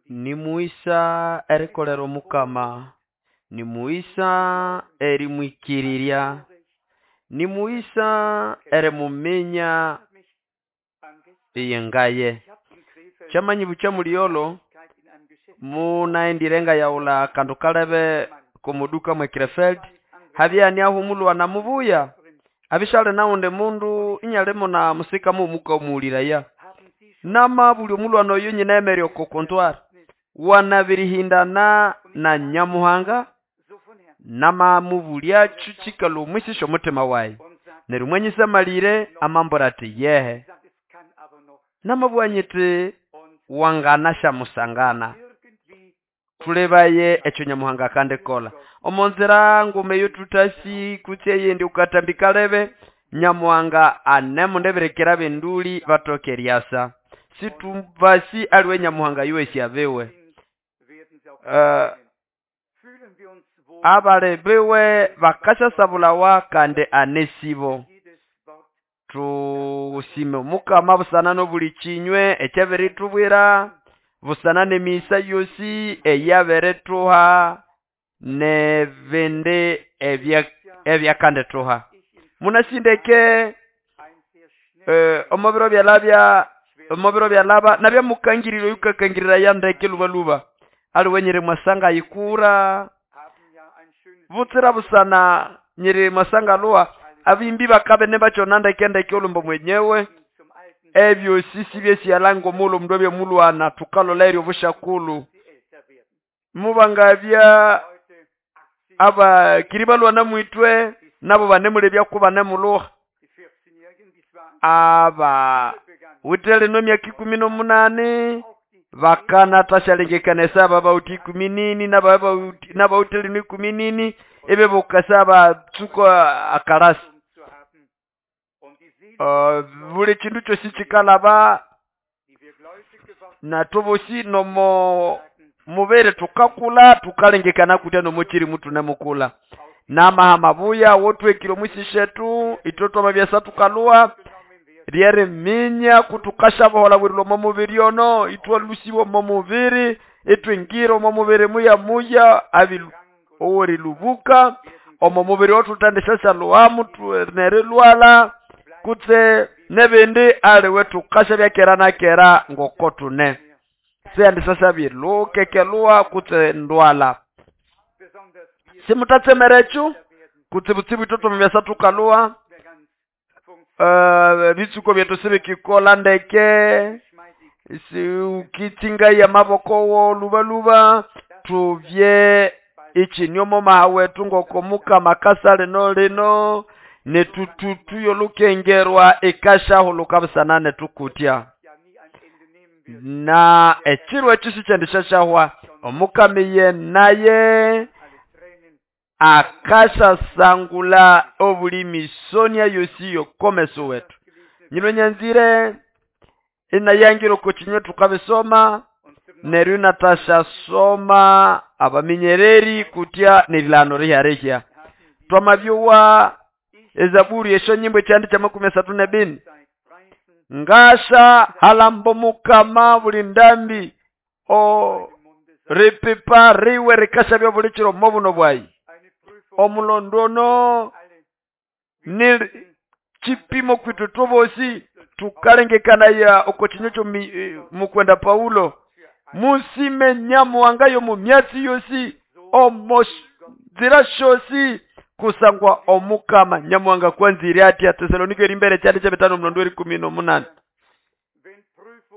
Nimughisa erikolera omukama, nimughisa erimwikirirya, nimughisa erimuminya iyengaye. Kyamanyibukya muliyolo munaghendire ngayaghulha akandu kalebe komoduka mwe Krefeld, habya haniaho omulhwana mubuya, abya isyali naghundi mundu inyalimo na musika mughuma wukamughuliraya. Namabulya omulhwana oyo inyinayemerya oko comptoir, wanabirihindana na Nyamuhanga, namamubulyacho kyikalhwa omwisi syomuthima wayi. Neryo mwanyisamalire amambwira athi yehe. Namabugha nyithi wanganasyamusangana. Thulebaye ekyo Nyamuhanga akandikolha. Omonzira nguma eyo thuthasi kutse eyindi okukathambi kalebe, Nyamuhanga anemundibirikira abenduli bathoke eryasa. Situbasi aliwe Nyamuhanga yowosi abiwe. Abali biwe bakasyasabulawa kandi anesibo. Thusime omukama busana nobuli kinywe ekyabirithubwira, busana n'emighisa yosi eyabirithuha n'ebindi ebyakandithuha. Munasindeke omubiro byalabya, omubiro byalaba nabya mukangirira oyukakangirira ndeke lubaluba. Aliwe nyiri mwasanga ayikura butsira busana nyiri mwasanga lhuha abimbi bakabene bakyona ndeke ndeke olhumbo mwenyewe. Ebyosi sibyesiyala ngomulhu omundu abya mulhwana thukalhola eryo obusyakulhu. Mubangabya abakiri balhwana mwithwe nabo banemulebyaku banemulhuha. Aba withe lino emyaka ikumi n'omunani bakanathasyalengekanaya esaba bawithe ikumi nini n'abawithe lino ikumi nini ibibuka batsuka akalasi. Buli kindu kyosi kyikalaba nathu bosi nomo mubiri thukakulha thukalengekana kutya nomo kyirimu thunemukulha. Namaha mabuya awothuhekire omwisi syethu ithwe thwamabyasa thukalhuha lyeriminya kuthukasyaboholha omo mubiri ono ithwalhusiwa omo mubiri ithwingira omo mubiri muya muya owerilhubuka omo mubiri owethuthendisyasyalhuhamu nerilhwalha kutse nebindi aliwe thukasya kera na kera ngoko thune. Siyandisasya bilhukekelhuha kutse ndwalha. Simutatsemera ekyo kutsibutsibu ithwe thwamabyasa thukalhuha bitsuko byethu sibikikolha ndeke ukitsingaya amaboko wo lubaluba thubye ikyinyomo maha wethu ngoko mukama akasa lino lino netututu yolukengerwa ikasyahuluka busana netukutya. Na ekiro ekyo sikyendisyahwa omukama naye akasyasangula obuli misonia yosi yokomeso wetu. Nyino nyanzire inayangira oko kinywe thukabisoma neryo inathasya-soma abaminyereri kutya nerilano rihyarihya. Twamabyowa ezaburi esyonyimbo ekyandi kya makumi asathu nebini. Ngasha halambo mukama buli ndambi o ripipa riwe rikashabya buli kiro mobuno bwayi. Omulondono ni kipimo kwitu tubosi tukalengekanaya oko kinywe kyo mukwenda Paulo. Musime Nyamuhanga yo mu myatsi yosi omo nzira syosi kusangwa omukama Nyamuhanga kwanzire atya. Tesalonike erimbere kyandi kya bitano mulondo erikumi n'omunani.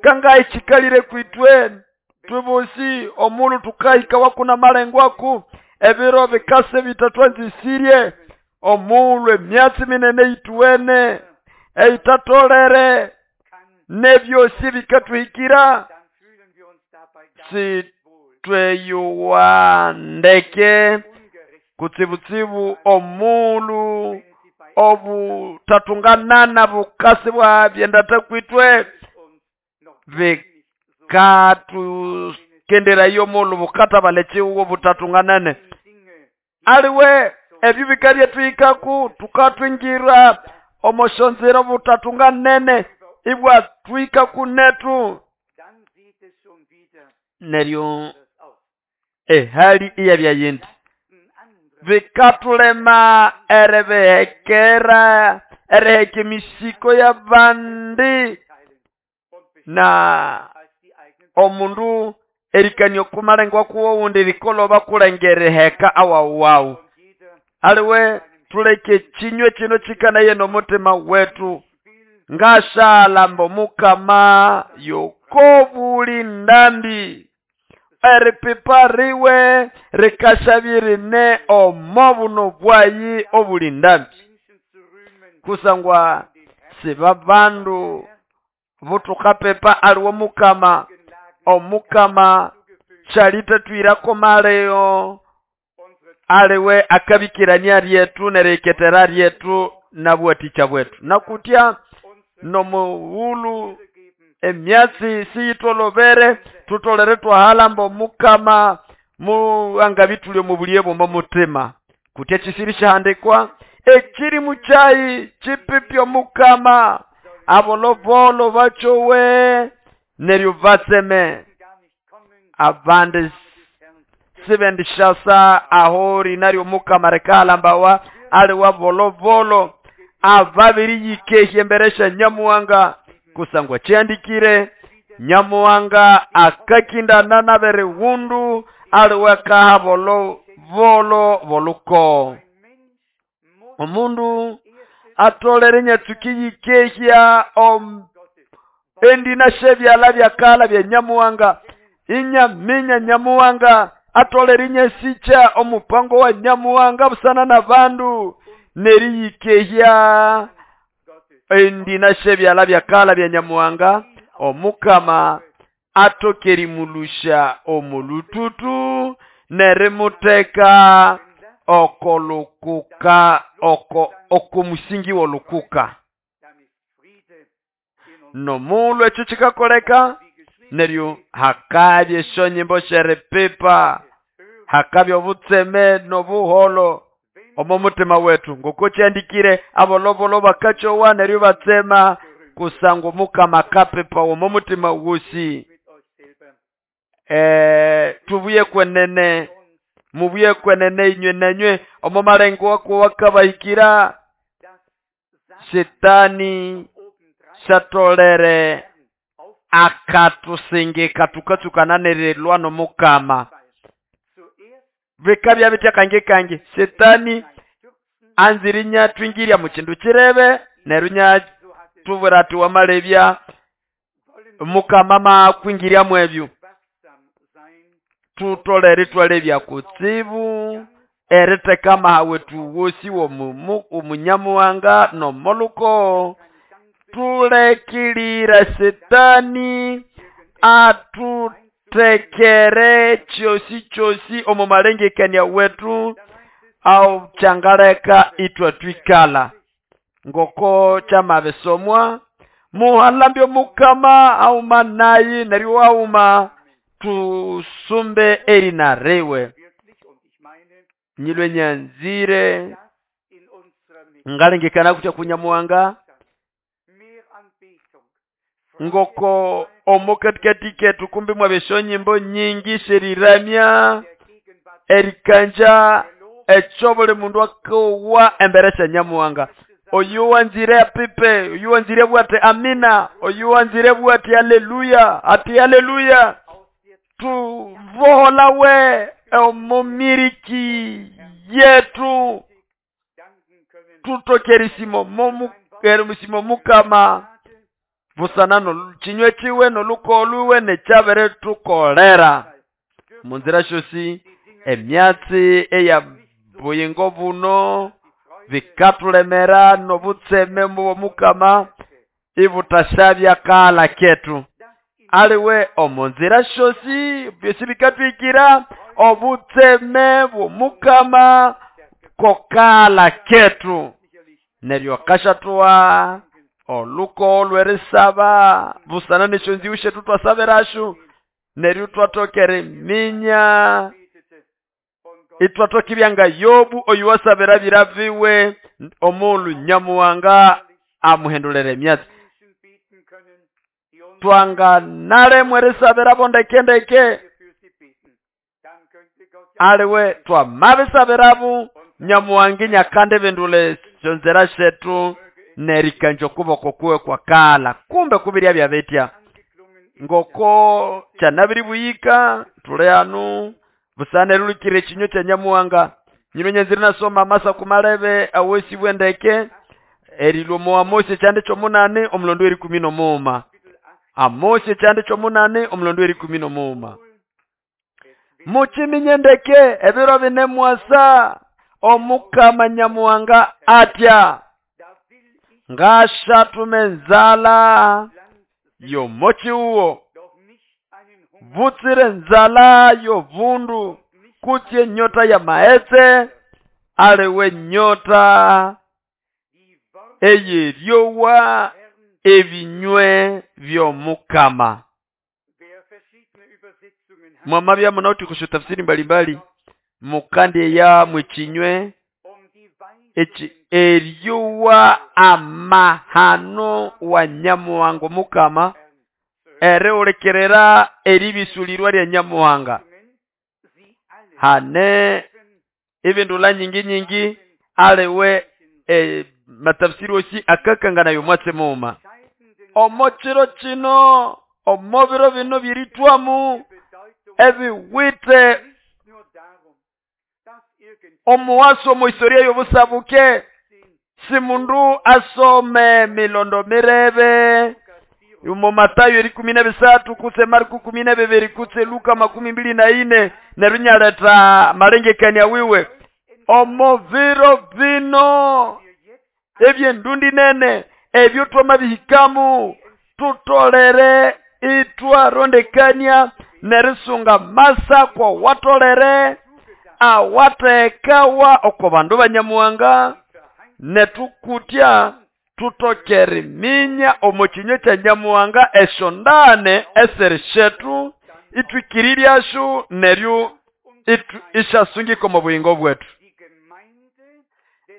Kangayi kikalire kwitwe tubosi omulu tukahika wakuna malengo aku ebiro bikase bitatwanzisirye omulu emyatsi minene yituwene eitatolere nebyosi bikatuhikira sitweyuwa ndeke kutsibutsibu omulu obutatunganana bukasi bwa byendata kwitwe bikatugenderayo omulu bukatabala ekihugo butatunganane. Aliwe ebyo bikabyetwikaku tukatwingira omosyonzira obutatunganene ibwatwikaku netu. Neryo ehali iyabya yindi, bikatulema eribihekera, eriheka emisiko y'abandi, na omundu erikania okumalengwa kuw'owundi likolhoba kulenge eriheka awawu wawu. Aliwe tuleke ekinywe kino kikanaye n'omutima wetu. Ngashalamba Omukama yokobuli ndambi, eripipa riwe rikashabirine omo buno bwayi obuli ndambi, kusangwa sibabandu butukapipa aliwe Omukama. Omukama syalitatwirako maleo, aliwe akabikirania ryetu neriheketera ryetu nabwatikya bwetu. Nakutya nomughulhu emyatsi siyitholobere, tutolere twahalamba Omukama muangabithulya omo bulighe bw'omo mutima. Kutya kisiri kyahandikwa, ekirimu kyayi kipipye Omukama, abolobolo bakyowe neryo batseme. Abandi sibendishasa aho rina ry'Omukama rikahalambawa, aliwe abolobolo ababiriyikehya embere sya Nyamuhanga, kusangwa kyandikire, Nyamuhanga akakindana n'aberighundu, aliwe akaha bolobolo b'olukogo. Omundu atolere inyatsuka iyikehya endina syebyalha byakalha bya Nyamuhanga, inyaminya Nyamuhanga, atolere inyasikya omupango wa Nyamuhanga busana n'abandu, neriyikehya endina syebyalha byakalha bya Nyamuhanga. Omukama atoke erimulusha omulututu nerimuteka okolukuka, okomusingi w'olukuka. Nomughulhu ekyo kikakoleka, neryo hakabya esyonyimbo syeripipa, hakabya obutseme n'obuholo omo mutima wetu. Ngoko kyandikire, abolobolo bakakyowa neryo batsema, kusangwa Omukama akapipa omo mutima wosi. Tubuye kwenene, mubuye kwenene inywe nanywe omo malengo wako wakabahikira. Shetani syatolere akatusingika tukatsukana nerilwa n'Omukama. Bikabya bitya kangi kangi, Shetani anzire inyatwingirya mu kindu kirebe, neryo inyatubwira ati wamalebya Mukama makwingirya mwebyo. Tutolere itwalebya kutsibu eritheka amaha wetu wosi w'omunyamuhanga n'omoluko. Tulekilira Shetani atuthekere kyosi kyosi omo malengekania wetu, au kyangaleka ithwatwikala ngoko kyamabisomwa. Muhalambye Omukama auma nayi, neryo auma tusumbe erina riwe. Nyilwe nyanzire ngalengekana kutya kunyamuhanga ngoko omo katikati ketu kumbi mwabya esyonyimbo nyingi syeriramya, erikanja ekyo buli mundu akowa embere sya Nyamuhanga. Oyo wanzire apipe, oyo wanzire bwate amina, oyo wanzire bwate haleluya, ati haleluya. Tuboholawe omo miriki yetu, tutoke erisimo erisimo Mukama busana no kinywe kiwe n'olukogo lwiwe nekyabere tukolera. Munzira syosi emyatsi eya buyingo buno bikatulemera n'obutseme bw'Omukama ibutashabya kala ketu. Aliwe omunzira syosi byosi bikatwikira obutseme bw'Omukama kokala ketu. Neryo akashatwa olukogo lw'erisaba busana n'esyonziwu syetu twasabirasyo, neryo twatoka eriminya, itwatoka ibya nga Yobu oyu wasabira bira biwe omughulhu Nyamuhanga amuhendulera emyatsi. Twanganalemwa erisabirabo ndeke-ndeke, aliwe twamabisabirabo Nyamuhanga inyakandi bindula esyonzira syetu nerikanja okuboko kuwe kwakala. Kumbe kubirya byabitya ngoko kyanabiribuyika tuli hanu busana erilukira ekinywa kya Nyamuhanga. Nyino nyanzire nasoma amasaku malebe awosibwe ndeke erilwa omo Amosi ekyanda ky'omunani omulondo w'erikumi n'omuuma. Amosi ekyanda ky'omunani omulondo w'erikumi n'omuuma. Mukiminye ndeke ebiro bine mwasa Omukama Nyamuhanga atya, ngashatuma enzala y'omokiwuwo, butsire nzala y'obundu, kutse enyota y'amaghetse, aliwe nyota eyeryowa ebinywe by'Omukama. Mwamabya munawithe kusyo tafsiri mbalimbali, mukandi eya mwekinywe eki eryowa amahano wa Nyamuhanga Omukama, erihulikirira eribisulirwa lya Nyamuhanga. Hane ebindula nyingi nyingi aliwe matafsiri osi akakanganayo mwatsi muuma. Omo kiro kino, omo biro bino byeritwamu ebiwithe omuwaso omu historia y'obusabuke, si mundu asome milondo mirebe omu Matayo erikumi n'ebisathu kutse Marko kumi n'ebibiri kutse Luka 24 neryo inyaletha malengekania wiwe. Omo biro bino ebyendundi nene ebyo twamabihikamu tutolere itwarondekania nerisunga masakwa watolere awathekawa oko bandu ba Nyamuhanga, netukutya tutokere minya omo kinywa kya Nyamuhanga esyondane esiri syetu itwikiriryasyo neryo isyasungika omo buyingo bwetu.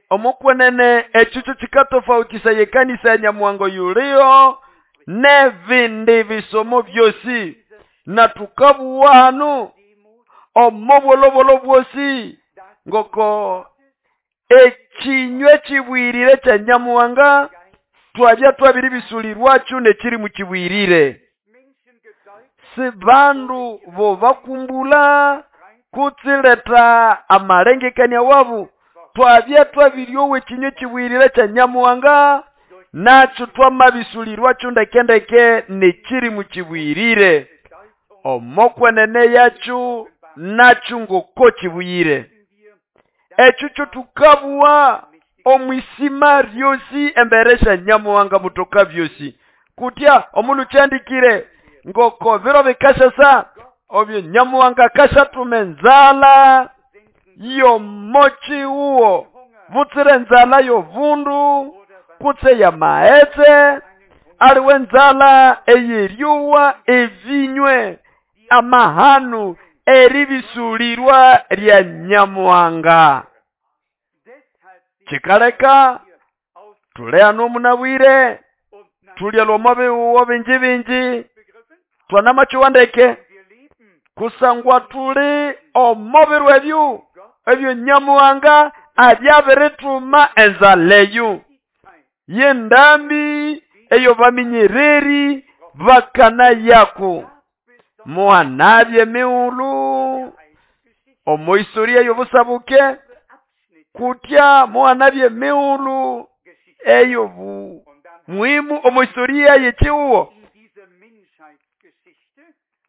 Omokwenene ekyo kyo kikatofautisaya ekanisa ya Nyamuhanga yuliyo n'ebindi bisomo byosi, na tukabuwa hanu omo bwolobwolo bwosi ngoko ekinywa kibwirire kya Nyamuhanga twabya twabiribisulirwakyo nekiri mukibwirire. Si bandu bo bakumbula kutsileta amalengekania wabu, twabya twabiryowa ekinywa kibwirire kya Nyamuhanga nakyo twamabisulirwakyo ndekendeke nekiri mukibwirire. Omokwenene yakyo nakyo ngoko kibuyire. Ekyo kyo tukabuwa omwisima ryosi embere sya Nyamuhanga mutoka byosi. Kutya omundu kyandikire ngoko biro bikashasa obyo Nyamuhanga kashatuma enzala y'omokiwuwo, butsire enzala y'obundu kutse y'amaghetse, aliwe enzala eyeryowa ebinywe amahanu eribisulirwa lya Nyamuhanga. Kikaleka tuli hano munabwire, tulya lwomo biwuwo bingi bingi, twanamakiwa ndeke kusangwa tuli omo biro ebyo ebyo Nyamuhanga abyabirituma enzala eyo yendambi eyo baminyereri bakana yako. Muhanabye emighulhu omo historia y'obusabuke, kutya muhanabye emighulhu eyo muhimu omo historia y'ekiwuwo.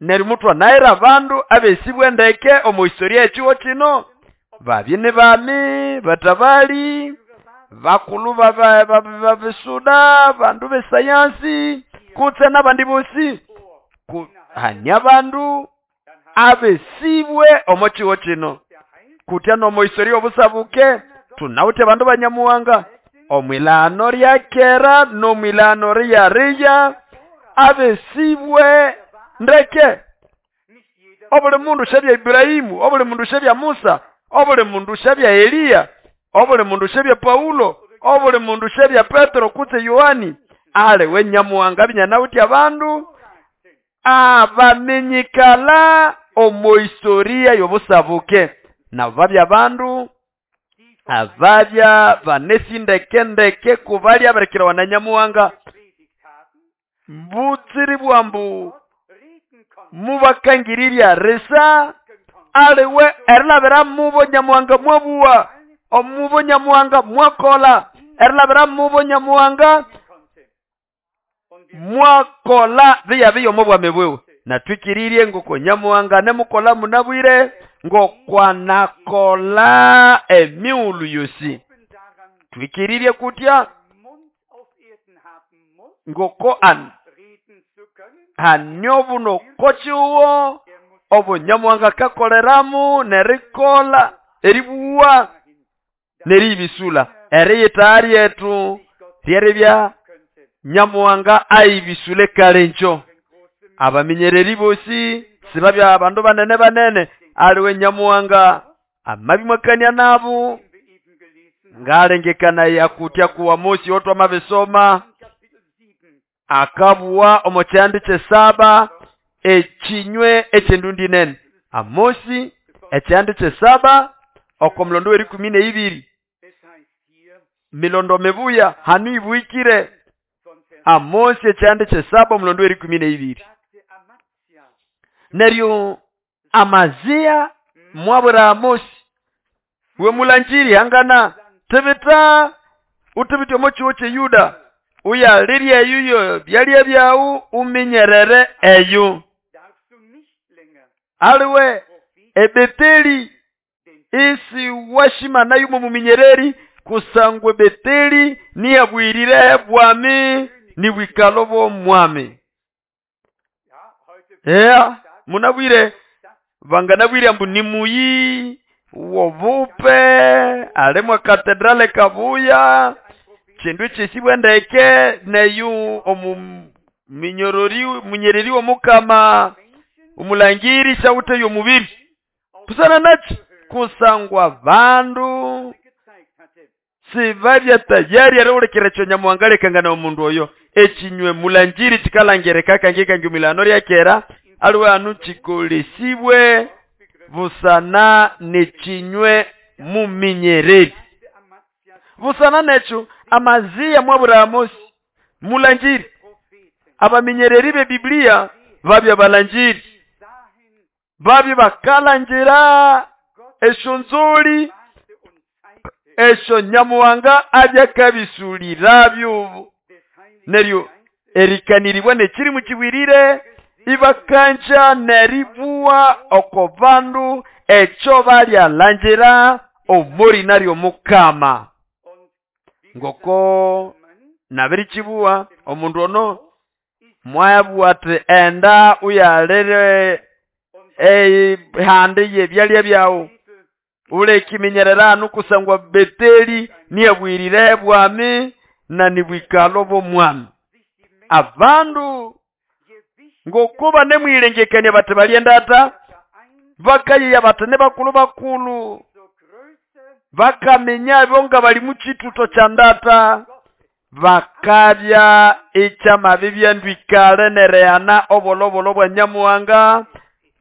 Neryo mutwanahira abandu abesibwe ndeke omo historia y'ekiwuwo kino, babye ni bami, batabali, bakulu babisuda, bandu b'esayansi, kutse n'abandi bosi. Hanya abandu abesibwe omo kiwuwo kino. Kutya n'omo historia y'obusabuke tunawithe abandu ba Nyamuhanga omwilano lya kera n'omwilano lya riya abesibwe ndeke. Obuli mundu syabya Ibrahimu, obuli mundu syabya Musa, obuli mundu syabya Eliya, obuli mundu syabya Paulo, obuli mundu syabya Petero kutse Yohani, aliwe Nyamuhanga binyanawithe abandu Abaminyikala omo historia y'obusabuke nabo babya bandu ababya banesindekendeke kubalya berekerawa na Nyamuhanga butsiri bwambu mubakangirirya risa aliwe erilabira mubo Nyamuhanga mwabuwa omubo Nyamuhanga mwakola erilabira mubo Nyamuhanga mwakola biya omo bwami bwiwe. Natwikirirye ngoko Nyamuhanga nemukola munabwire ngokwanakola emiulu yosi. Twikirirye kutya ngoko hanyo buno kochiwo obo Nyamuhanga kakoleramu nerikola eribuwa neribisula eriyita ryetu ryeribya Nyamuhanga aibisule kalencho. Abaminyereri bosi sibabya abandu banene banene aliwe Nyamuhanga amabimwakania nabo ngalengekana yakutya kuwa Mosi otwa mabisoma akabuwa omo kyandi kyesaba ekinywe ekyendundi nene. Amosi ekyandi kyesaba oko mulondo w'erikumi n'eibiri milondo mibuya hanu ibuikire. Amosi ekyandi kyesaba omulondo w'erikumi n'eibiri. Neryo Amazia mwabwira Amosi we mulanjiri hangana tibita utibite omo kiwo kye Yuda uyalirye eyuyo byalya byawu uminyerere eyo. Aliwe Ebeteli isi washima nayo muminyereri kusangwe Beteli niyabwirire bwami nibwikalo bw'omwami. Munabwire banganabwire ambu nimuyi wobupe alemwa katedrale kabuya chindu chisibwe ndeke neyu omuminyorori munyereri w'omukama umulangiri shawute y'omubiri kusana nachi kusangwa bandu sibabya tayari arewulekera ekyo Nyamuhanga lekangana omundu oyo ekinywe mulanjiri kikalangereka kangi milano ryakera aliwe anu kikolesibwe busana nekinywe muminyereri. Busana nekyo Amazia mwabura Amosi mulanjiri. Abaminyereri be Biblia babya balanjiri babya bakalanjira eshonzoli esho Nyamuhanga abyakabisulirabyo neryo erikaniribwa nekiri mukibwirire ibakanja neribuwa oko bandu echo balyalanjira omori naryo mukama. Ngoko nabirikibuwa omundu ono mwayabuwa ati enda uyalere ehande yebyalya byawu ulekiminyerera anu kusangwa Beteli niyabwirire bwami na nibwikalo bw'omwami. Abandu ngokuba nemwilengekania bati balyendata bakayiya bati ne bakulu bakulu bakamenya bonga bali mukituto kya ndata bakabya ekyamabi byandwikale nereyana obolobolo bwa Nyamuhanga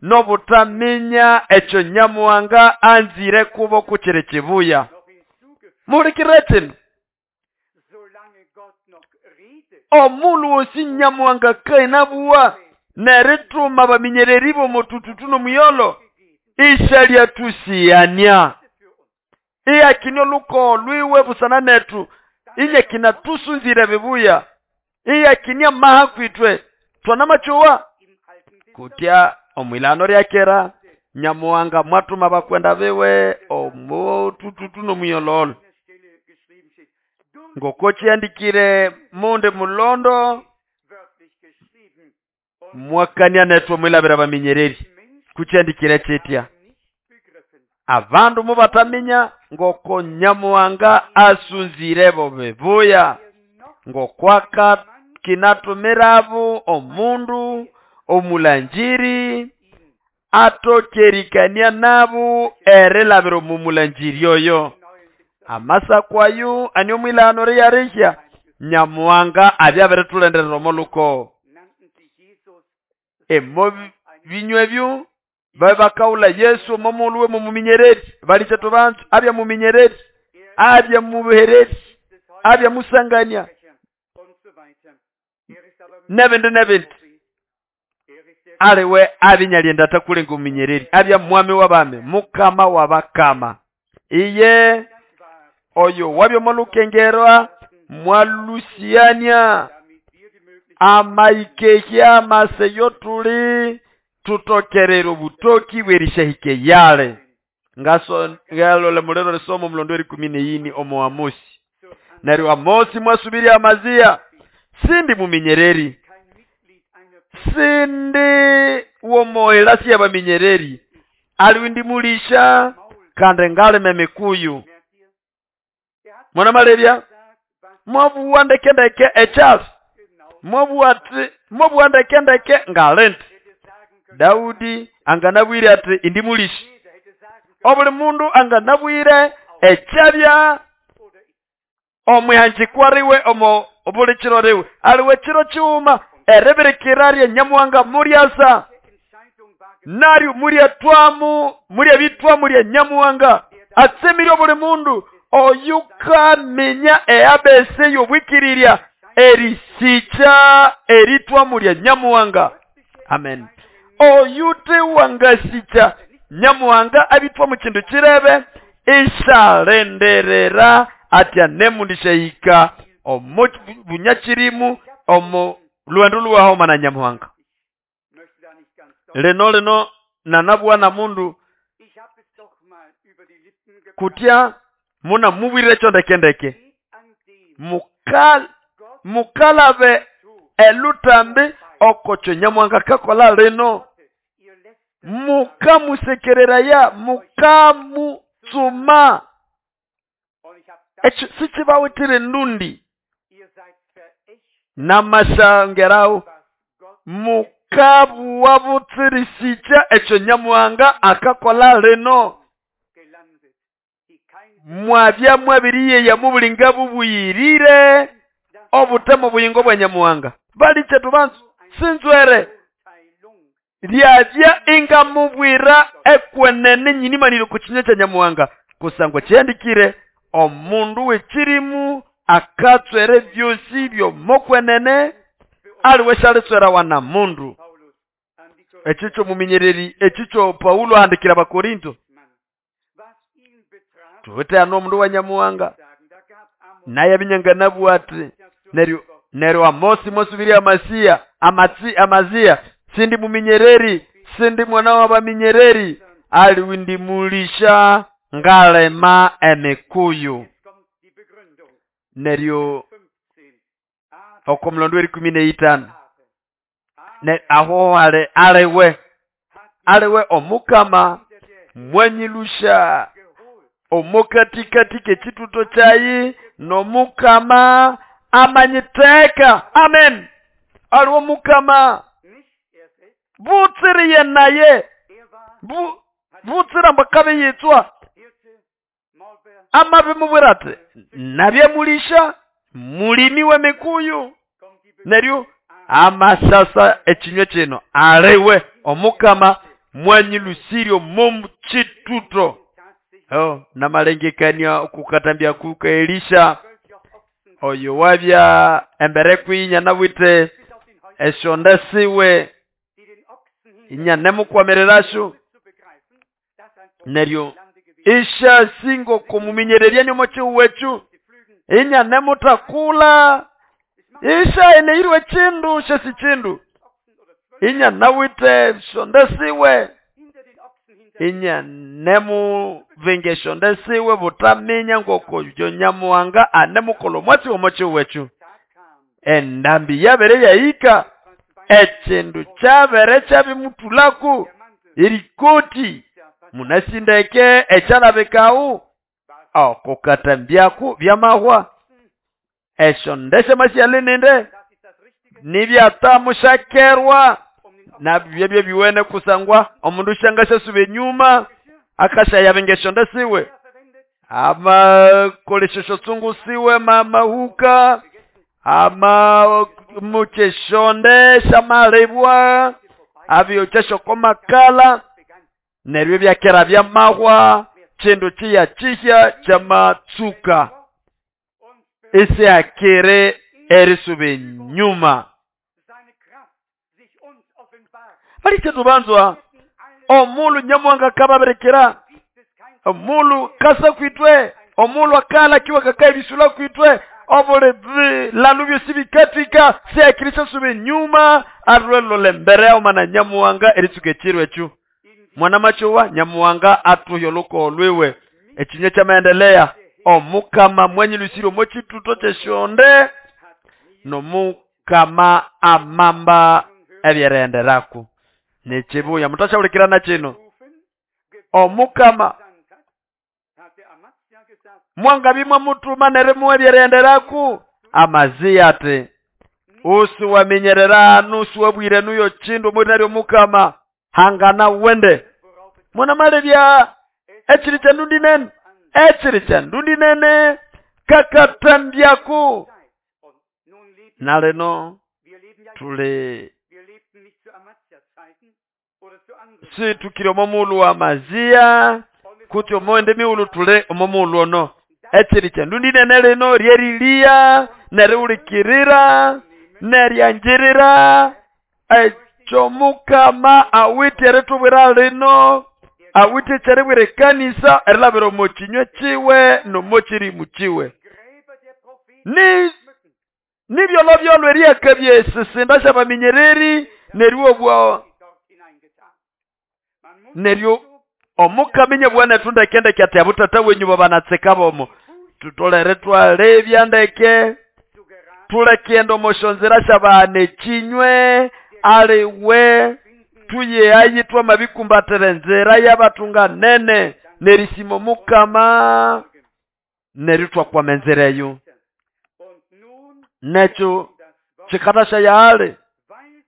nobutaminya ekyo Nyamuhanga anzire kubo kukiri kibuya. Mulikire kino omulu wosi Nyamuhanga kainabuwa nerituma baminyereri bomutututu nomuyolo ishalya tusiyania iyakinyo luko lwiwe busana netu inye kinatusunzire bibuya iyakinia maha kwitwe twanamachowa kutya omwilano ryakera Nyamuhanga mwatuma bakwenda biwe omutututu nomuyololo. Ngoko kyandikire munde mulondo mwakania netwe mwilabira baminyereri kukyandikire kyetya abandu mubataminya ngoko Nyamuhanga asunzire bo bibuya ngokwaka kinatumirabo omundu omulanjiri atokerikania nabo erilabira omumulanjiri oyo. Amasakwayo anio mwilano ryarisha Nyamuhanga abyabirithulenderera omoluko. Emo binywa ebyo babakaula Yesu omo muluwe mumuminyereri balicha tubantu abya muminyereri abya mubuhereri abya musangania nebindi nebindi aliwe abinyalienda atakulenga omuminyereri abya mwami w'abami mukama w'abakama iye oyo wabya molukengerwa mwalusiania amaikehya maseyo tuli tutokerera obutoki bwerishahike yale ngaso ngalole mulero lisomo mulondo 14 omo Amosi. Neryo Amosi mwasubiri Amazia sindi muminyereri sindi womoelasi yabaminyereri aliwindi mulisha kandi ngalime mikuyu. Mwana malebya mwabuwa ndekendeke echasi mwabuwa ndekendeke ngalente. Daudi anganabwire ati indi mulishi obuli mundu anganabwire echabya omwihanjikwariwe omo obuli chiro riwe aliwe chiro chiuma erebirikirarie nyamuhanga muryasa naryo muryatwamu muryabitwa murya nyamuhanga atsemirye obuli mundu oyukaminya eabese yobwikirirya erisicha eritwa murya nyamuhanga. Amen. Oyute wangasicha nyamuhanga abitwa mu kindu kirebe ishalenderera atya nemundishaika omo bunyakirimu omo lwendo luwahoma na nyamuhanga. Leno leno nanabwa na mundu kutya muna mubwire chondekendeke mukalabe elutambi okocho nyamuhanga kakola leno mukamusekerera ya mukamutsuma echo sichibawitire ndundi namashangerao mukabuwabutsirisicha echo nyamuhanga akakola leno mwabya mwabiriye ya mubulinga bubuyirire obutemo buyingo bwa nyamuhanga baliche tubanzu sinzwere lyabya inga mubwira ekwenene nyinimaniro kuchinya cha nyamuhanga kusangwa chiandikire omundu wechirimu akatswere byosi byomokwenene aliwe shalitswera wana mundu. Echicho muminyereri echicho Paulo ahandikira Abakorinto tuwete ano mundu wa nyamuhanga naye binyanganabu ati neryo Amosi mwasubiri Amazia Amazia sindi muminyereri sindi mwana w'abaminyereri aliwindi mulisha ngalema emikuyu. Neryo okomlondo 15 ne aho alewe alewe omukama mwanyilusha omokatikati kechituto chayi nomukama amanyiteka. Amen. Aliwo mukama butsiriye naye butsira mbakabe yitswa amabe mubwira ati nabye mulisha mulimi w'emikuyu. Neryo amasasa ekinywa kino alewe omukama mwanyilusirio mumchituto. Oh, namalengekania okukatambya kuka Elisha oyo wabya embere kwinya nabwite eshonda siwe inya nemukwamererasho. Neryo isha singo kumuminyererya nyomochi wechu inya nemutakula isha eneirwe chindu shesi chindu inya nawite shonda siwe inya nemu vingesho ndesiwe butaminya ngoko nyamuhanga anemukolo mwatsi omochi wechu. Endambi yabere yaika echindu chabere chabimutulaku irikoti munasindeke echalabekau okukatambyaku byamahwa esho ndeshe masyalininde nibyatamushakerwa na byebye biwene kusangwa omundu shangasha sube nyuma akasha yabengesho ndesiwe ama koleshesho tsungu siwe mama huka ama mucheshonde shamalebwa Abiyokya oko makala neryo ebyakera byamahwa, kindu kiya kihya kyamatsuka. Isiakiri erisuba enyuma. Balike tubanzwa omulu Nyamuhanga akababirikira, omulu kasa kwitwe, omulu akala kiwa kakaye bisula kwitwe, obuli bilalu byosi bikatika, siakiri suba enyuma, arwelole mbere yawo mana Nyamuhanga eritsuka ekiro ekyo. Mwana machowa Nyamuhanga atuhe olukowo lwiwe. Ekinywa kyamaendelea omukama mwanyilusire omo kituto kyeshonde nomukama amamba ebyerenderako. Nekibuya mutashabulikirana kino. Omukama mwangabimwa mutuma nerimuwa ebyerenderako. Amaziya ati usiwaminyerera nusiwabwire nuyo kindu omwirina ly'omukama hangana wende. Mwana malebya ekiri kya ndundi nene, ekiri kya ndundi nene kakatambyaku. Naleno tuli situkire omomulu wa Maziya kuti omoende miulu tule omomulu ono. Ekiri kya ndundi nene lino ryeriliya neriwulikirira neryanjirira ekyo mukama awithe eritubwira lino, awithe ekyeribwira ekanisa erilabira omo kinywa kiwe nomo kirimu kiwe. Ni nibyolobyolo eryakabya esisinda syabaminyereri neryo obwa neryo omukaminya bwana tundekendeke ati abutata wenyu babanatseka bomo tutolere twalebya ndeke tulekenda omoshonzera syabana ekinywe aliwe tuye ayitwa mabikumbatira enzira y'abatunganene nerisima omukama neryo twakwama enzira eyo. Nekyo kikatasha yale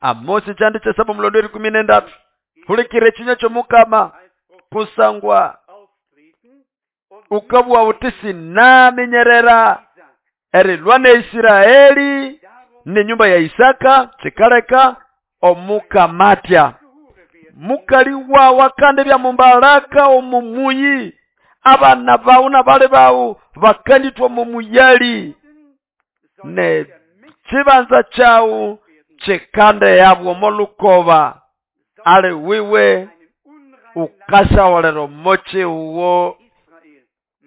Amosi kyandi kyesaba omulondo erikumi n'endatu. Hulikira ekinywa ky'omukama kusangwa ukabwa uti sinaminyerera erilwa ne Isiraeli nenyumba ya Isaka kikaleka omukamatya mukali wawa kandi bya mumbaraka omumuyi abana bawu nabale bawu bakanditwa omumuyali ne kibanza kyawu kikande yabwo omolukoba ali wiwe ukashawolera omochi uwo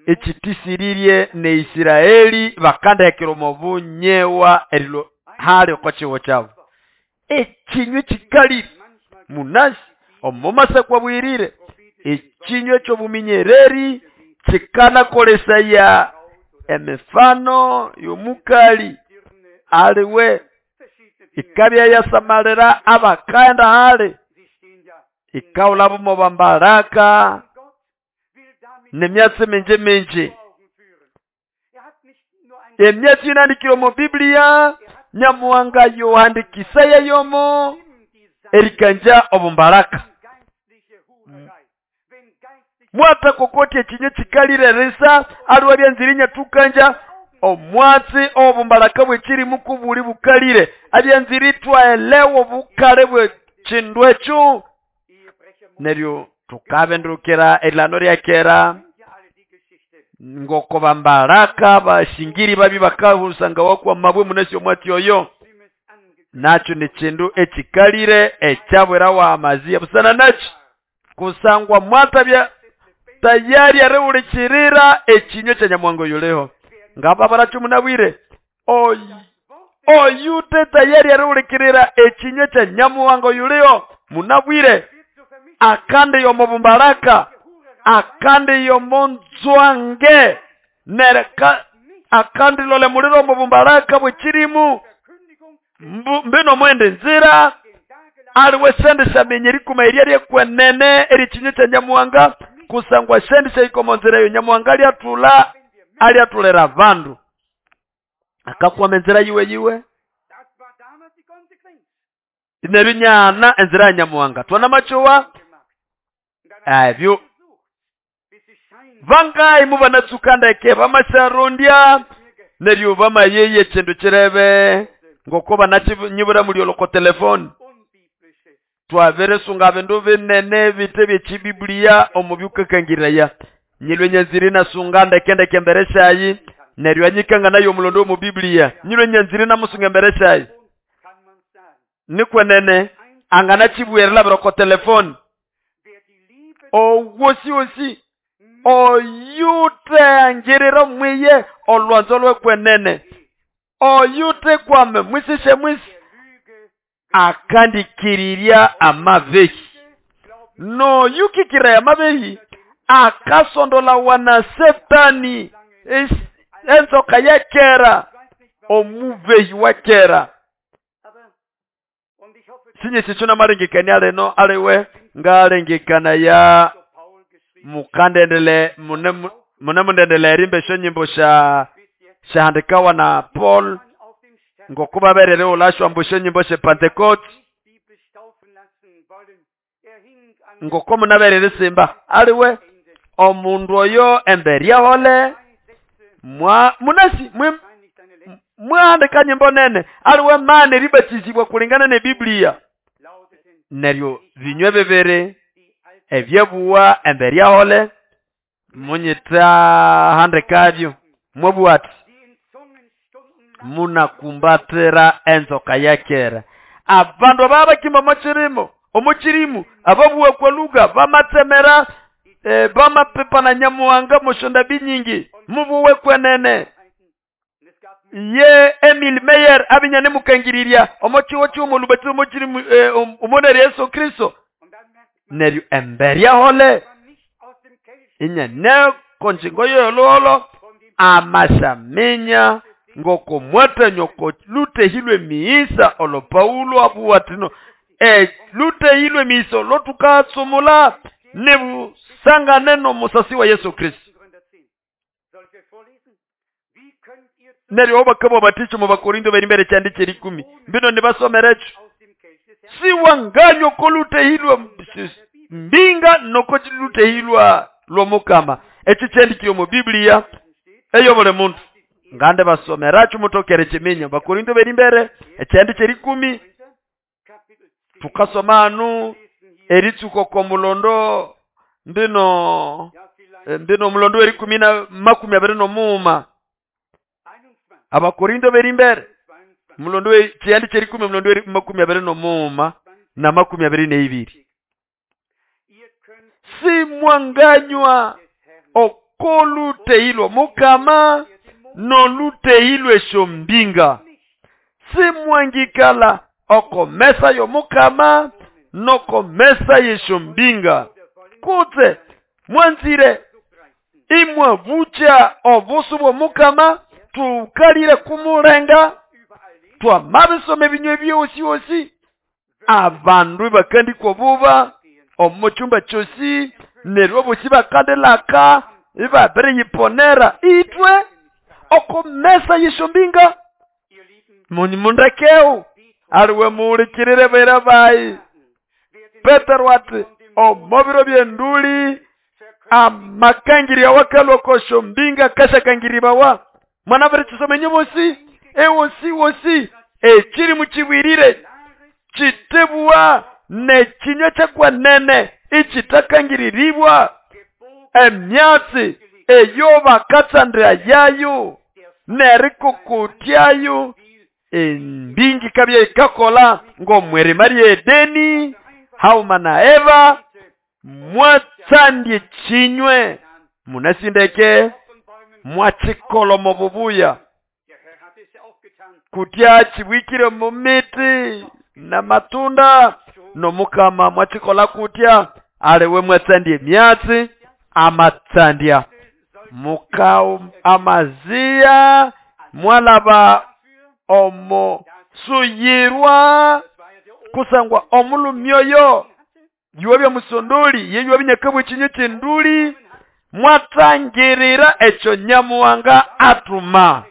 ekitisiririe ne Isiraeli bakandekera omubunyewa erilo hali oko kiwo kyabu. Ekinywa kikali munasi omumasa kwabwirire ekinywa ekyobuminyereri kikanakolesaya emifano y'omukali aliwe ikabya yasamalira abakaenda hali ikawula bumo bambaraka nemyatsi mingi mingi. Emyatsi inandikire omu Biblia Nyamuhanga yohandikisaya yomo erikanja obumbaraka. Mwata kokoti ekinyo kikalire risa aliwa byanzirinya tukanja omwatsi obumbaraka bwekirimu kubuli bukalire abyanziritwa elewo bukale bwe kindu ekyo. Neryo tukabendukira erilano lyakera ngoko bambaraka bashingiri babi bakahusanga wakwa mabwe munesi omwatsi oyo. Nakyo ni kindu ekikalire ekyabwera wa Amaziya busana nakyo kusangwa mwatabya tayari arewulikirira ekinywa kya Nyamuhanga yuleho ngaba baracumunabwire oyute tayari arewulikirira ekinywa kya Nyamuhanga yuleho munabwire akande yomubumbaraka akande yomonzwange nereka akandi lole muliro mubumbaraka bwekirimu mbino mwende nzira aliwe sendisha menyerikuma erya ryekwenene erikinywa kya Nyamuhanga kusangwa sendisha ikomo nzira eyo Nyamuhanga alyatula alyatulera abandu akakwama enzira yiwe yiwe neryo nyana enzira ya Nyamuhanga twana machowa ebyo vangai mubanatsuka ndeke bamasharondya neryo bamayeye kindu kirebe ngoko banakinyibura muri oloko telefone. Twabirisunga bindu binene bite by'ekibibuliya omu byukakangiraya. Nyilwe nyanzire nasunga ndekendeke embere syayi, neryo anyikanga nayo omulondo omu Biblia. Nyilwe nyanzire namusunga embere syayi. Nikwenene anganachibwerera biroko telefoni. Owosi osi oyute angirira mwiye olwanzo lwekwenene. Oyute kwame mwisishe mwisi akandikiriria amabehi. No yukikira amabehi akasondola wana setani enzoka ya kera omubehi wa kera. Sinye sichuna marengekania leno aliwe ngalengekana ya mukandendele mune mundendele erimbe sho nyimbo sha shahandikawa na Paul ngokuba berere ulashwa mbusho nyimbo she Pentecost ngoko munaberere simba aliwe omundu oyo emberya hole mwa munasi mwaandika nyimbo nene aliwe mane ribatizibwa kulingana ne Biblia neryo binywe bibiri ebyebuwa emberya hole munyita handikavyo mwabuati munakumbatira enzoka ya kera. Abandu ababakimba mochirimo omuchirimu ababuwa kwa lugha bamatsemera bamapepa na nyamuhanga mushonda binyingi mubuwe kwenene. Ye Emil Meyer abinyane mukangiriria omochiwo chumo lubatizo mochirimu umonere Yesu Kristo neryo emberya hole inyane konjingo yololo amashaminya ngoko mwate nyoko lutehilwe miisa olo Paulo abuwatino lutehilwe miiso lotukatsumula nebusanga neno musasi wa Yesu Kristo. Neryo obakabo baticho mu Bakorinto beri mbere kyandike 10 mbino nibasomerecho siwanganyo kolutehilwa mbinga noko lutehilwa lwomukama. Echi kyandikire mu Biblia eyo buli muntu ngande basomeracho mutokere chiminya. Bakorinto beri mbere ekyandike 10 tukasoma anu eritsuko ko mulondo mbino mulondo eri 10 25. Abakorinto beri mbere mulondo kyandike 10 mulondo eri 25 na 22. Si mwanganywa okoluteilwa mukama noluteilwe shombinga. Si mwangikala okomesa yo mukama nokomesa yeshombinga. Kutse mwanzire imwavucha obusu bwa mukama tukalire kumulenga twamabisome binywe byosi osi abandu bakandikwa buba omuchumba chosi neryo bosi bakandelaka ibabere yiponera itwe okomesa yeshombinga. Mundakeu aliwe mulikirire bera bayi. Petero ati omobiro byenduli amakangiri awakalwa koshombinga kashakangiribawa mwana bere chisomenye bosi ewosi wosi ekiri muchibwirire chitebwa nekinywa kyakwa nene ichitakangiriribwa emyatsi eyo bakatsandira yayo nerikukutyayo embingi kabye ikakola ngomwerima ry'Edeni hauma na Eva mwatsandye chinywe munasindeke mwachikolo mububuya kutya chibwikire mu miti na matunda nomukama mwachikola kutya aliwe mwatsandye myatsi amatsandya mukao amazia mwalaba omo suyirwa kusangwa omulumyoyo yuwe bya musondoli yeyuwe binyakabwe chinye chinduli mwatangirira echo nyamuwanga atuma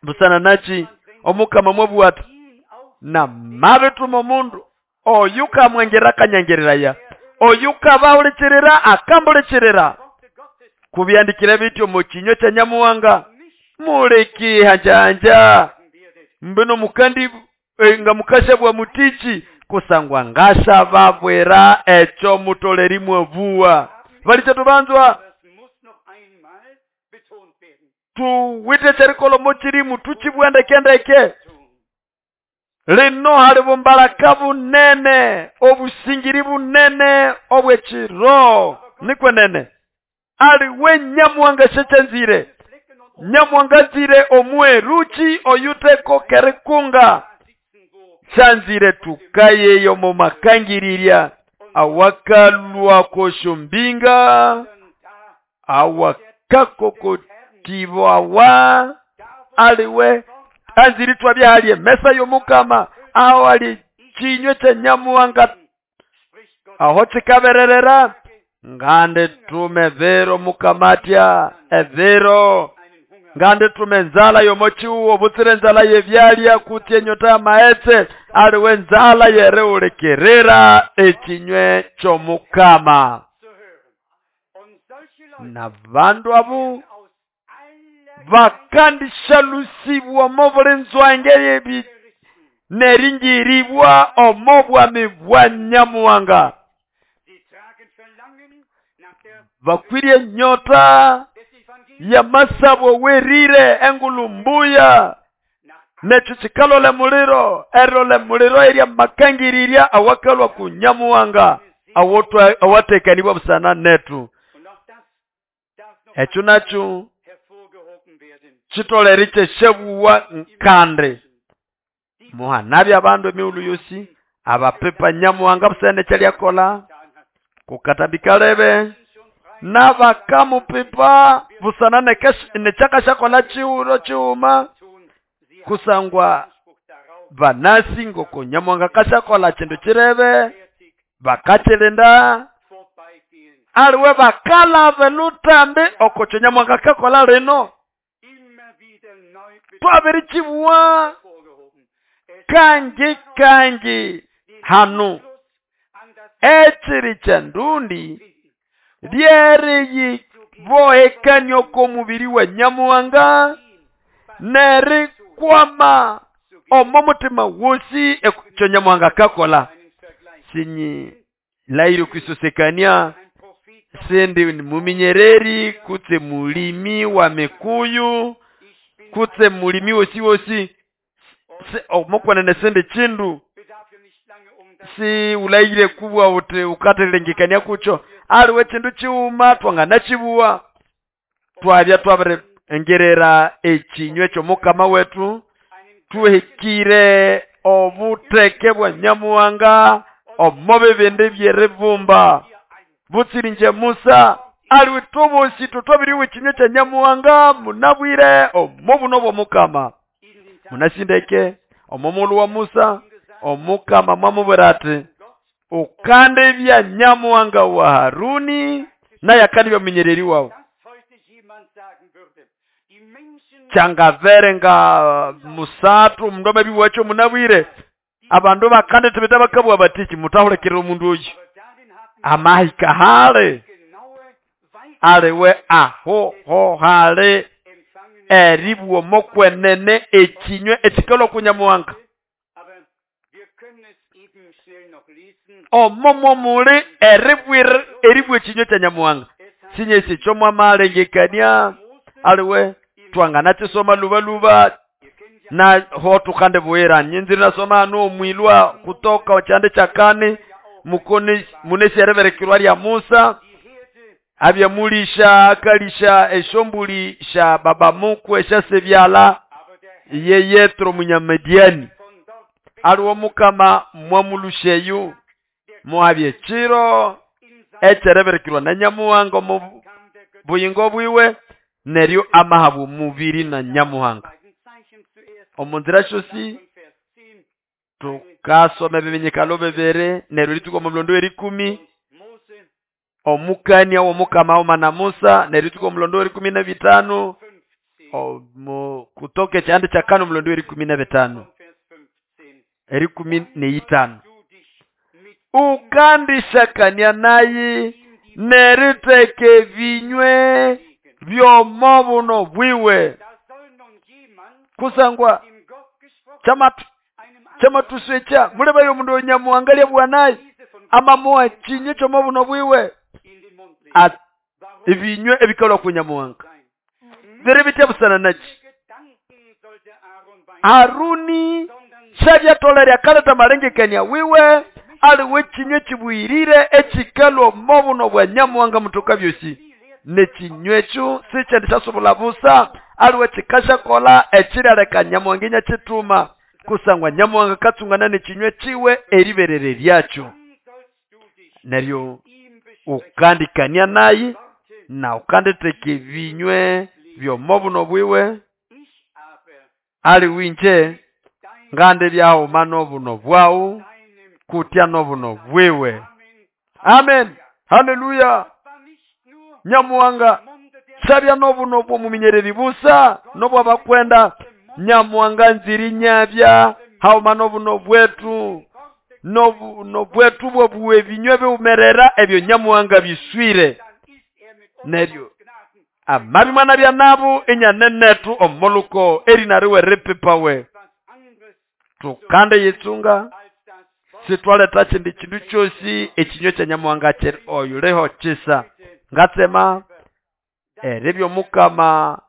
busana nachi omukama mwabwata na mabetuma omundu oyuka mwengera kanyangereraya oyuka bahulikirira akambulikirira kubyandikira bityo mu kinyo kya nyamuwanga muleki hanjanja mbino mukandi nga mukasha bwa mutichi kusangwa ngashababwira echo mutoleri mwabuwa. Balicha tubanzwa tuwite cherikolo mochirimu tuchibwendekendeke. Lino hali bumbalaka bunene obusingiri bunene obwechiro nikwenene ali we Nyamuhanga shechanzire Nyamuhanga nzire omweruchi oyuteko kerikunga shanzire tukayeyo mu makangiriria awakalwa koshombinga awakakokotibawa aliwe anziri twabya hali emesa y'omukama aho ali chinywe kya Nyamuhanga aho chikabererera ngande tume vero mukamatya evero ngande tume nzala yomochiuwo butsire nzala yebyalya kuti enyota ya maetse aliwe nzala yereulekerera echinywe ky'omukama. Na bandu abu bakandishalusibwa mo buli nzwange yebi neringiribwa omo bwami bwa Nyamuhanga. Bakwiriye nyota ya masabo werire engulumbuya necho chikalole muliro erole muliro erya makangiriria awakalwa ku Nyamuhanga awatekanibwa busana netu. Echo nacho chitoleri cheshebuwa nkande muhanabi abandu emiulu yosi abapepa Nyamuhanga busana chalyakola kukatabika nabakamupipa busana nechakashakola chiuro chiuma kusangwa banasi ngoko Nyamuhanga kashakola chindu chirebe bakachilinda aliwe bakalave lutambi okocho Nyamuhanga kakola lino twabirichibuwa kangi kangi hanu echiri cha ndundi lyeri bohekanyo ko mubiri wa Nyamuhanga neri kwama omo mutima wosi ekyo Nyamuhanga kakola. Sinyi lairi kwisosekania sindi ni muminyereri kutse mulimi wa mikuyu kutse mulimi wosi wosi omokwana nesende chindu si ulaire kubwa ute ukatelengekania kucho aliwe chindu chiuma twangana chibuwa twabya twabere engerera echinywe ky'omukama wetu tuhikire obuteke bwa Nyamuhanga omo bibindi byerivumba butsirinje Musa aliwe tubosi tutwabiriwe echinywe kya Nyamuhanga munabwire omo buno bw'omukama munasindeke omo mulu wa Musa omukama mwamubwira ati ukande bya Nyamuhanga wa Haruni naye akandi bya munyereri wawe. Changavere nga musatu mndome biwacho munabwire abandu bakande tibeta bakabwa batiki mutahulekera omundu oyu amahika hale aliwe aho ho hale eribwo mokwenene echinywe echikalo ku Nyamuhanga omo muli eribwe echinywe kya Nyamuhanga sinyesi chomwa malengekania aliwe twangana chisoma luba luba na ho tukande buera nyinzira nasoma no mwilwa kutoka chande chakani mukoni munesi ereberekirwa lya Musa abyamulisha akalisha eshombuli sha baba mukwe eshasebyala ye Yetro munyamediani aliwo mukama mwamulusheyu muhabye chiro echereberekirwa na Nyamuhanga mu buyingo bwiwe neryo amahabu mubiri na Nyamuhanga. Omunzira shosi tukasoma ebimenyekalo bebere neryo lituko omulondo eri10 omukania w'omukama omana Musa neryo lituko omulondo eri15 omu kutoka ekyande kya kano omulondo eri15 eri15 ukandishakania nayi neriteke vinywe byomo buno bwiwe kusangwa Kyamatuswekya mulebayo omundu oyo Nyamuhanga lyabugha naye amamuha ekinywe ky'omo buno bwiwe, ebinywe ebikalwa ku Nyamuhanga biri bitya busana naki? Haruni syabyatolere akaleta amalengekania wiwe aliwe ekinywe ekibuyirire ekikalwa omo buno bwa Nyamuhanga mutoka byosi. N'ekinywe ekyo sikyendisyasubula busa, aliwe kikasyakola ekiryaleka Nyamuhanga inyakituma, kusangwa Nyamuhanga akatsungana n'ekinywe kiwe eriberere lyakyo. Neryo ukandikania naye na ukanditheka ebinywe by'omo buno bwiwe, aliwe inje ngandibyaghuma n'obuno bwawu kutya n'obuno bwiwe. Amen, haleluya. Nyamuhanga syabya n'obuno bw'omuminyereri busa n'obw'abakwenda. Nyamuhanga nziri nyabya haghuma n'obuno bwetu, n'obwetu bw'obuwe ebinywe biwumerera ebyo Nyamuhanga biswire. Neryo amabi mwana bya nabo inyanenethu omuluko erinariwe ripipawe. Tukande yitsunga sitwaletha kindi kindu kyosi ekinywe kya Nyamuhanga kiri oyuliho kisa. Ngatsema eribya Omukama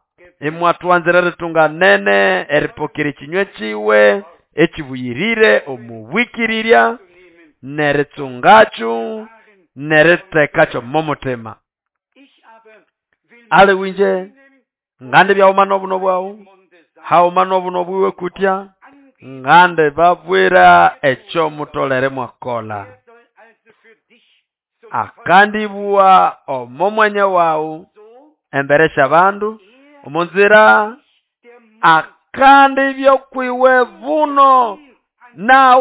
imwatwanzira eritunganene eripokera ekinywe kiwe ekibuyirire omubwikirirya neritsungakyo nerithekakyo omo mutima. Aliwe inje ngandibyaghuma n'obuno bwawu haghuma n'obuno bwiwe kutya ngandibabwira ekyo mutolere mwakola. Akandibugha omo mwanya wawu embere sy'abandu omo nzira akandibya kwiwe buno na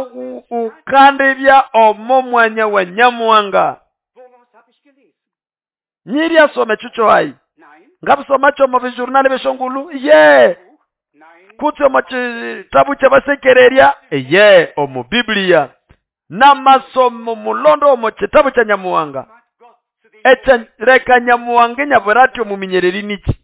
ukandibya omo mwanya wa Nyamuhanga. Nyiryasoma ekyo kyohayi ngabusoma kyo omo bijurnali by'esyongulu ye kutse omo kitabu ky'abasekererya ye omu Biblia n'amasomo mulondo omo kitabu kya Nyamuhanga. Ekyaleka Nyamuhanga inyabwira ati omuminyereri niki?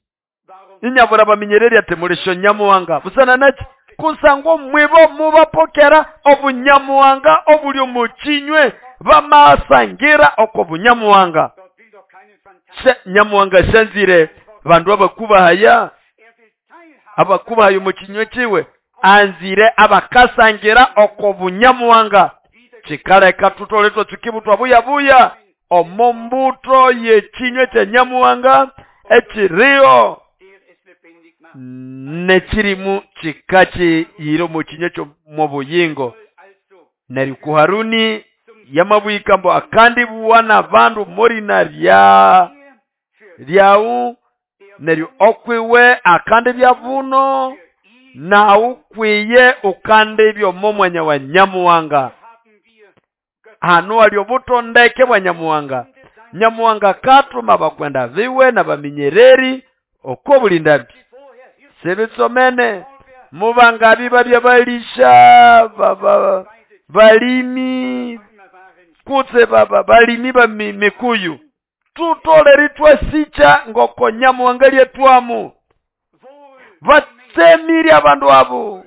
Inyabwira abaminyereri ati mulisyo Nyamuhanga busana naki? Kusangwa mwibo mubapokera obunyamuhanga obuli omu kinywe bamasangira oko bunyamuhanga. Nyamuhanga syanzire bandu abakubahaya abakubahaya omu kinywe kiwe anzire abakasangira oko bunyamuhanga. Kikaleka tutole twatsuka buyabuya omo mbuto y'ekinywe kya Nyamuhanga ekiriyo n'ekirimu kikakiyira omu kinywe ky'omu buyingo. Neryo ku Haruni yamabwika mbu akandibugha n'abandu morina lyawu neryo okwiwe akandibya buno nawu kwiye ukandibya omo mwanya wa Nyamuhanga. Hano hali obutondeke bwa Nyamuhanga. Nyamuhanga akatuma abakwenda biwe n'abaminyereri oko buli ndambi. Sibitsomene mubangabi babya balisha balimi kutse balimi ba mikuyu tutolere twasicha ngoko Nyamuhanga lyetwamu. Batsemire abandu abo,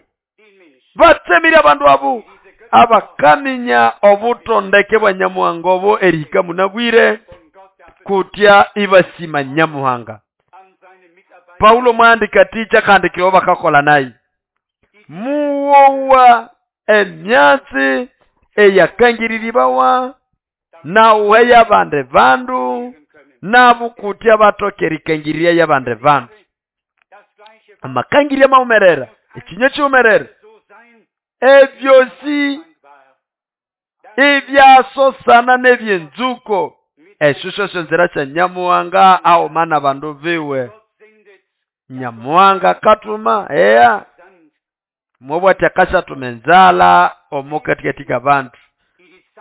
batsemire abandu abo abakaminya obutondeke bwa Nyamuhanga obo erihika munabwire kutya ibasima Nyamuhanga. Paulo mwandika ticha kandikira bakakola naye muwowa emyatsi eyakangiriribawa nauhe yabande bandu nabo kutya batokera ikangiriria yabande bandu. Amakangirya maumerera ekinywe kiumerera ebyosi ebyasosana n'ebyenzuko esyo syosyo nzira sya Nyamuhanga aghuma n'abandu biwe. Nyamuhanga katuma eya mwobwati akashatuma enzalha omo katikati k'abandu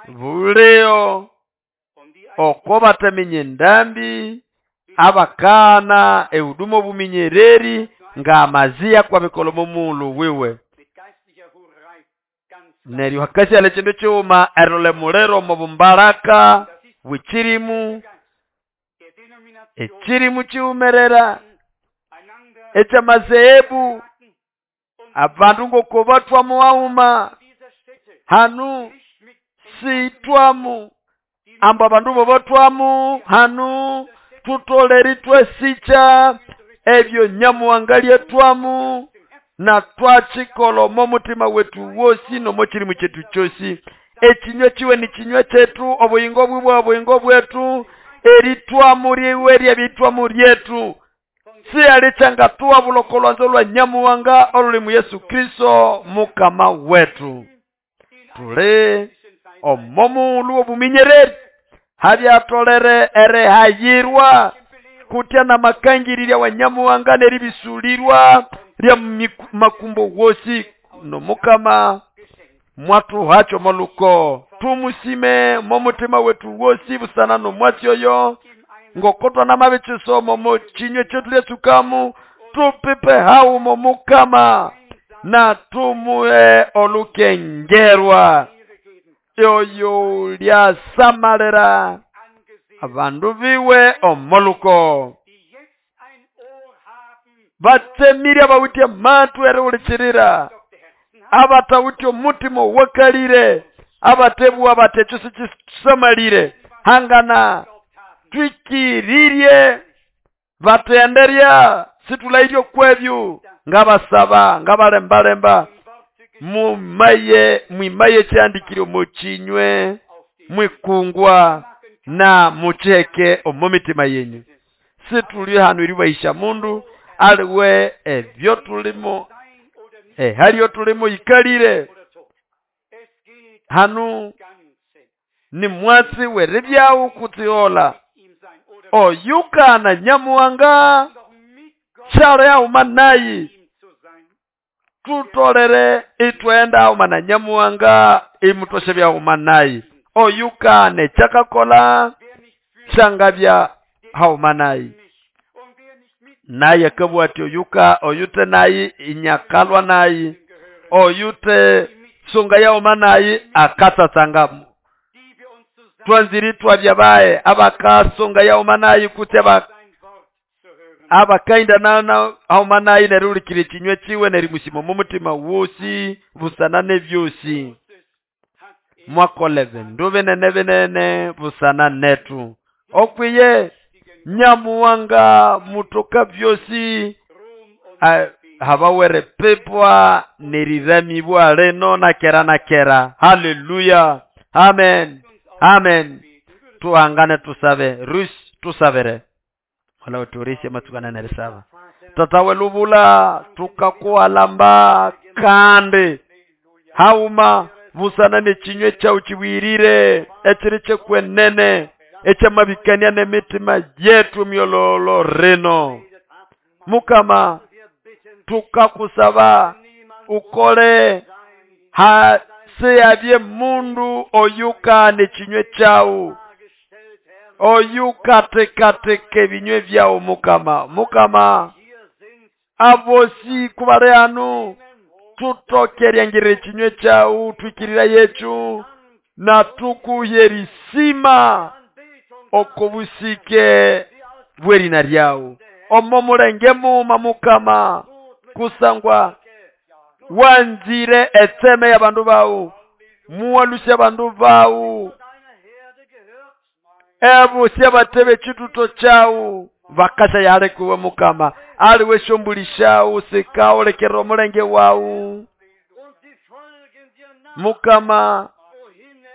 bulio oko bataminya endambi abakana ehuduma obuminyereri ng'amaziya kwabikola omo mughulhu wiwe. Neryo hakasyalha ekindu kighuma erilolha emuliro omo bumbaraka bw'ekirimu ekirimu kiwumerera eky'amazehebu abandu ngoko bathwa mughuma Hanu sitwamu ambu abandu bobatwamu hanu tutolere itwasicha ebyo Nyamuhanga lyetwamu na twachikola omo mutima wetu wosi nomo chirimu chetu chosi. Echinywa chiwe ni chinywa chetu, obuyingo bwibwe obuyingo bwetu, eritwamu ryiwe ryebitwamu ryetu. Siyalichanga tuwabuloko lwanzo lwa Nyamuhanga oluli mu Yesu Kristo mukama wetu. Tuli omo muulu obuminyereri habyatolere erihayirwa kutya na makangirira wa Nyamuhanga neribisulirwa lya makumbo wosi no mukama mwatuhacho moluko. Tumusime momutima wetu wosi busana no mwatsi oyo ngokotwa na mabichisomo mo chinywe chetu lyetsukamu tupipe haumo mukama na tumuhe olukengerwa yoyo lyasamalira abandu biwe omoluko. Batsemire abawitye matu erihulikirira, abatawitye omutima owakalire, abatebwa batecho sikisamalire hangana twikiririe batenderya situlairye kwebyo ngabasaba ngabalembalemba mumaye mwimaye kyandikire omukinywe mwikungwa na mucheke omu mitima yenyu. Situli hano eribaisha mundu aliwe ebyo tulimo haliyo tulimo ikalire hanu ni mwatsi weribyawu kutsiola oyukana Nyamuhanga shalo yauma nayi tutolere itwenda auma na Nyamuhanga imutoshe byauma nayi oyukane chakakola shangabya hauma nayi naye akabwa ati oyuka oyute nayi inyakalwa nayi oyute sunga yauma nayi akatsatsanga twanziri twabyabaye abakasunga yauma nayi kutya abakainda nana hauma nayi nerulikire chinywe chiwe nerimusimo mu mutima wosi busana nebyosi mwakole bindu binene binene busana netu okwiye Nyamuhanga mutoka byosi habawere pepwa neriramibwa leno na kera na kera. Haleluya, amen, amen. Tuhangane tusabe rus tusabere wala uturishe matukana nerisaba tatawe lubula tukakualamba kandi hauma busana nechinywe chau chiwirire echiri chekwenene echamabikania nemitima yetu myololo reno. Mukama tukakusaba ukole haseyabye mundu oyuka nechinywe chau oyuka tekateke binywe byao mukama. Mukama abosi kubale anu tutokeryangire chinywe chau twikirira yetu na tukuyerisima okobusike bwerina lyao omo mulenge muma mukama kusangwa wanzire etseme y'abandu bawu muwalusya abandu bawu ebusi abatebe chituto chau bakasha yalekuwe mukama aliwe shombulisha sikaolekera omulenge wawu mukama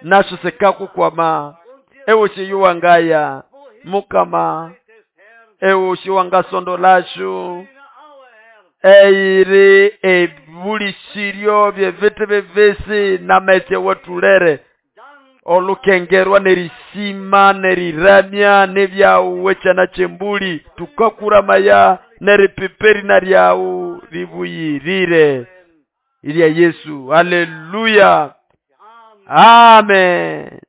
nasho sikakukwama ewoshi yuwangaya mukama ewoshi wangasondolashu eiri ebulisiryo byevitu bivisi nametse wetulere olukengerwa nerisima neriramya nebyauwe chana chembuli tukakuramaya neripiperi naryau ribuyirire ilya Yesu. Haleluya, amen.